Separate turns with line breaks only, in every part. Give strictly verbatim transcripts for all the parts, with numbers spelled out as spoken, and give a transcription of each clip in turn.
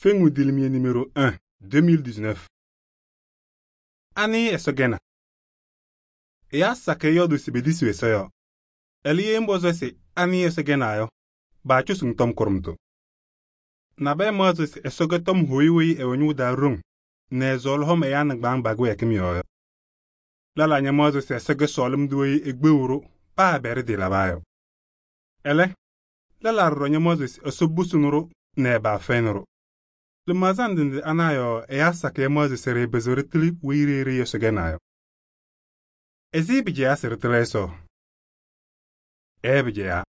Feŋu Dilimier numéro un, deux mille dix-neuf. Ani Ɛsɔ gɛna. Ɛyaa sakɩyɛ yɔɔdʋʋ se pedisiɣ Ɛsɔ yɔɔ. Ɛlɛ, ye ŋpɔzɩ se ani Ɛsɔ gɛna yɔ, baacɔsɩ-ŋ tɔm kʋɖʋmtʋ. Nabɛyɛ maɣzɩ se Ɛsɔ kɛ tɔm hʋyʋ weyi ɛwɛ ñʋʋ taa ɖoŋ nɛ ɛsɔɔlɩ hɔm ɛyaa nɩŋgbaaŋ pa-kɩwɛɛkɩm yɔɔ yɔ. Lɛlaa ñamaɣzɩ se Ɛsɔ kɛ sɔɔlɩm tʋ weyi ekpeɣu-ɖʋ paa ɛbɛ ɖɩtɩɩlabaa yɔ. Ɛlɛ, lɛlaa ɖɔɖɔ ñamaɣzɩ se Ɛsɔ busuni-ɖʋ nɛ ɛbaafɛyɩnɩ-ɖʋ. Lɩmaɣza ndɩ ndɩ ana yɔɔ ɛyaa sakɩyɛ maɣzɩ se ɖɩɩpɩzɩɣ ɖɩtɩlɩ weyi ɖeyi ɖe Ɛsɔ gɛna yɔ. Ɛzɩ pɩcɛyaa se ɖɩtɩlɩ Ɛsɔ? Ɛɛ pɩcɛyaa.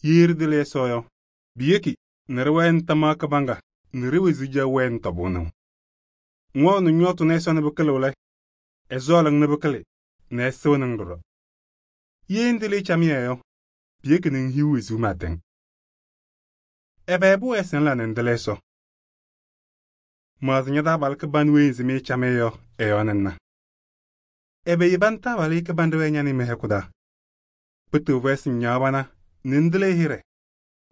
Ye ɖɩtɩlɩ Ɛsɔ yɔ, piyeki nɛ ɖɩwɛnɩ tamaɣ kɩbaŋga nɛ ɖe-wezuu caɣʋ wɛɛnɩ tɔbʋʋnɩŋ. Ŋwɛɣnɩ ñɔɔtʋ nɛ Ɛsɔ nɛ pɩkɩlɩɣ lɛ, ɛsɔɔlɩ-ŋ nɛ pɩkɩlɩ nɛ ɛsɩɣnɩ-ŋ ɖɔɖɔ. Ye ŋtɩlɩ camɩyɛ yɔ, piyeki nɛ ŋhiɣ wezuu pɩɩtɛŋ. Ɛbɛ pʋwɛɛ se ŋla nɛ ŋtɩlɩ Ɛsɔ? Maɣzɩ ña-taabalʋ kɩbanʋ weyi ŋsɩmɩ camɩyɛ yɔ ɛ-yɔɔ nɛ ŋna. Ɛbɛ yeba ŋtaabalʋ kɩbanɖɛ wɛɛ ña nɛ ɩ mɩ-hɛkʋ taa? Pɩtɩɣ fɛyɛ se ŋñaɣ pana nɛ ŋtɩlɩ ɛ-hɩɖɛ,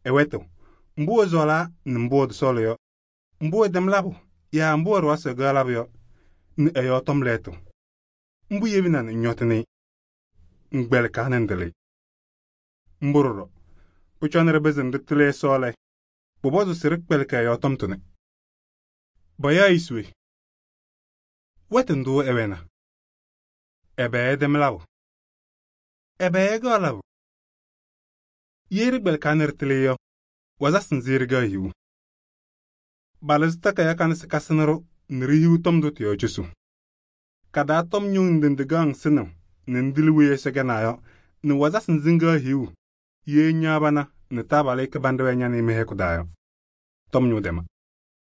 ɛ-wɛtʋ, mbʋ ɛsɔɔlaa nɛ mbʋ ɛtɔsɔɔlɩ yɔ, mbʋ ɛtɛm labʋ yaa mbʋ ɛɖʋwa se ɛkaɣ labʋ yɔ, nɛ ɛ-yɔɔ tɔm lɛɛtʋ. Mbʋ yebina nɛ ŋñɔtɩnɩ-ɩ, ŋgbɛlɩkaa nɛ ŋtɩlɩ-ɩ. Mbʋ ɖɔɖɔ, pʋcɔ nɛ ɖɩpɩzɩ ɖɩtɩlɩ Ɛsɔ lɛ, pʋpɔzɩ se ɖɩkpɛlɩkɩ ɛ-yɔɔ tɔm tʋnɛ. Payaɣ-ɩ se we? Wɛtʋ ndʋ ɛwɛna? Ɛbɛ ɛtɛm labʋ? Ɛbɛ ɛkaɣ labʋ? Ye ɖɩkpɛlɩkaa nɛ ɖɩtɩlɩ yɔ, wazasɩ nzɩ ɖɩkaɣ hiu? Balɩzɩ takaya kanɛ se kasɩnɩ-ɖʋ nɛ ɖihiu tɔm ndʋ tɩ-yɔɔ cosu. Kadaa tɔm ñʋŋ ndɩ ndɩ kaɣ ŋsɩnɩɣ nɛ ŋtɩlɩ weyi Ɛsɔ gɛna yɔ nɛ wazasɩ nzɩ ŋkaɣ hiu ye ŋñaɣ pana nɛ taabalʋ kɩbanɖɛ wɛɛ ña nɛ ɩ mɩ-hɛkʋ taa yɔ. Tɔm ñʋʋ tɛma.